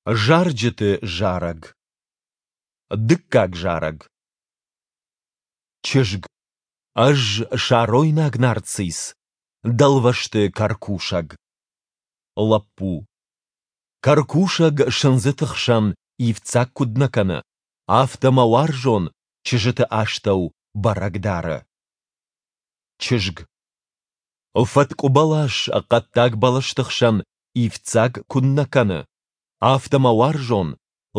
Зарджыты зарӕг. Дыккаг зарӕг. Чызг. Ӕз саройнаг нарцисс, дӕлвӕзты кӕркусӕг. Лӕппу. Кӕркусӕг сындзыты хсӕн ивддзаг куыд нӕ кӕны, афтӕ мӕ уарзон чызджыты астӕу бӕрӕг дары. Чызг. Фӕткъуы бӕлас хъӕддаг бӕлӕсты хсӕн ивддзаг куыннӕ кӕны, афтӕ мӕ уарзон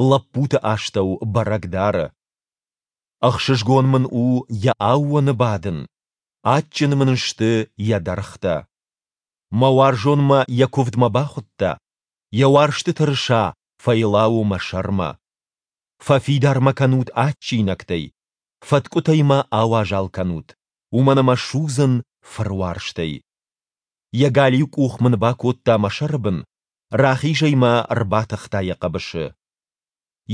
лӕппуты астӕу бӕрӕг дары. Ӕхсызгон мын у йӕ аууоны бадын, адджын мын сты йӕ дӕргътӕ. Мӕ уарзон мӕ йӕ куывдмӕ бахуыдта, йӕ уарзты тырыса фӕйлауы мӕ сӕрмӕ. Фӕфидар мӕ кӕнут адджинӕгтӕй, фӕткъуытӕй мӕ ауазал кӕнут, уымӕн ӕмӕ судзын фыруарзтӕй. Йӕ галиу къух мын бакодта мӕ сӕры бын, рахизӕй мӕ ӕрбатыхта йӕ хъӕбысы.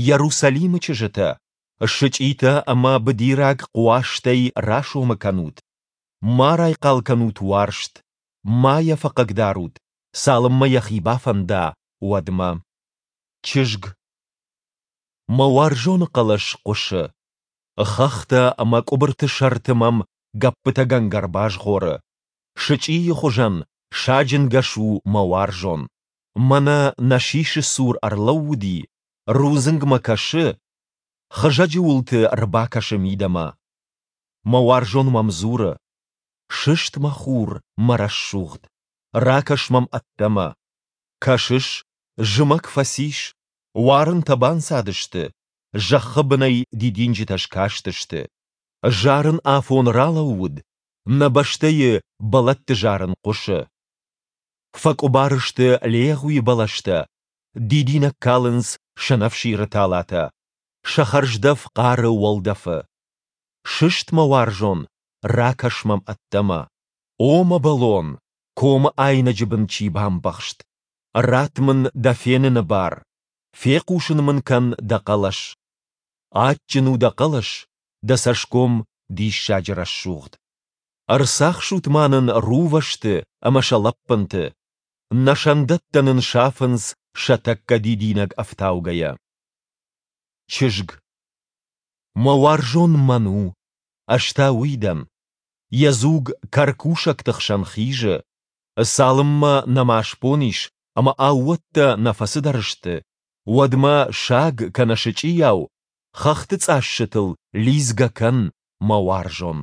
Иерусалимы чызджытӕ, сычъитӕ ӕмӕ быдираг хъуӕзтӕй расомы кӕнут, ма райхъал кӕнут уарзт, ма йӕ фӕхъыгдарут, цалынмӕ йӕхи бафӕнда, уӕдмӕ. Чызг. Мӕ уарзоны хъӕлӕс хъуысы. Хӕхтӕ ӕмӕ къуыбырты сӕрты мӕм гӕппытӕгӕнгӕ рбазгъоры. Сычъийы хуызӕн саджынгӕс у мӕ уарзон. Мӕнӕ нӕ сисы цур ӕрлӕууыди, рудзынгмӕ кӕсы, хызӕджы уылты рбакӕсы мидӕмӕ. Мӕ уарзон мӕм дзуры: Сыст, мӕ хур, мӕ рӕсугъд, ракӕс мӕм ӕддӕмӕ. Кӕсыс, зымӕг фӕцис, уарынтӕ банцадысты, зӕххы бынӕй дидинджытӕ скастысты. Зарын афон ралӕууыд, нӕ бӕстӕйы бӕлӕтты зарын хъуысы. Фӕкъуыбар сты легъуи бӕлӕстӕ, дидинӕг калынц сӕнӕфсиры талатӕ, сӕ хӕрздӕф хъары уӕлдӕфы. Сыст, мӕ уарзон, ракӕс мӕм ӕддӕмӕ. О мӕ бӕлон, комы айнӕджы бын чи бамбӕхст! Ратт мын дӕ феныны бар, фехъусын мын кӕн дӕ хъӕлӕс. Адджын у дӕ хъӕлӕс, дӕ цӕсгом диссаджы рӕсугъд. Ӕрцахсут ма нын рувӕсты ӕмӕ сӕ лӕппынты. Нӕ сӕндӕттӕ нын сафынц сӕ тӕккӕ дидинӕг ӕфтаугӕйӕ. Чызг. Мӕ уарзон мӕн у, ӕз та уый дӕн. Йӕ дзуг кӕркусӕгты хсӕн хизы. Цалынмӕ нӕма сбон ис ӕмӕ аууӕттӕ нӕ фӕцыдӕр сты, уӕдмӕ саг кӕнӕ сычъийау хӕхты цъассытыл лидзгӕ кӕн, мӕ уарзон.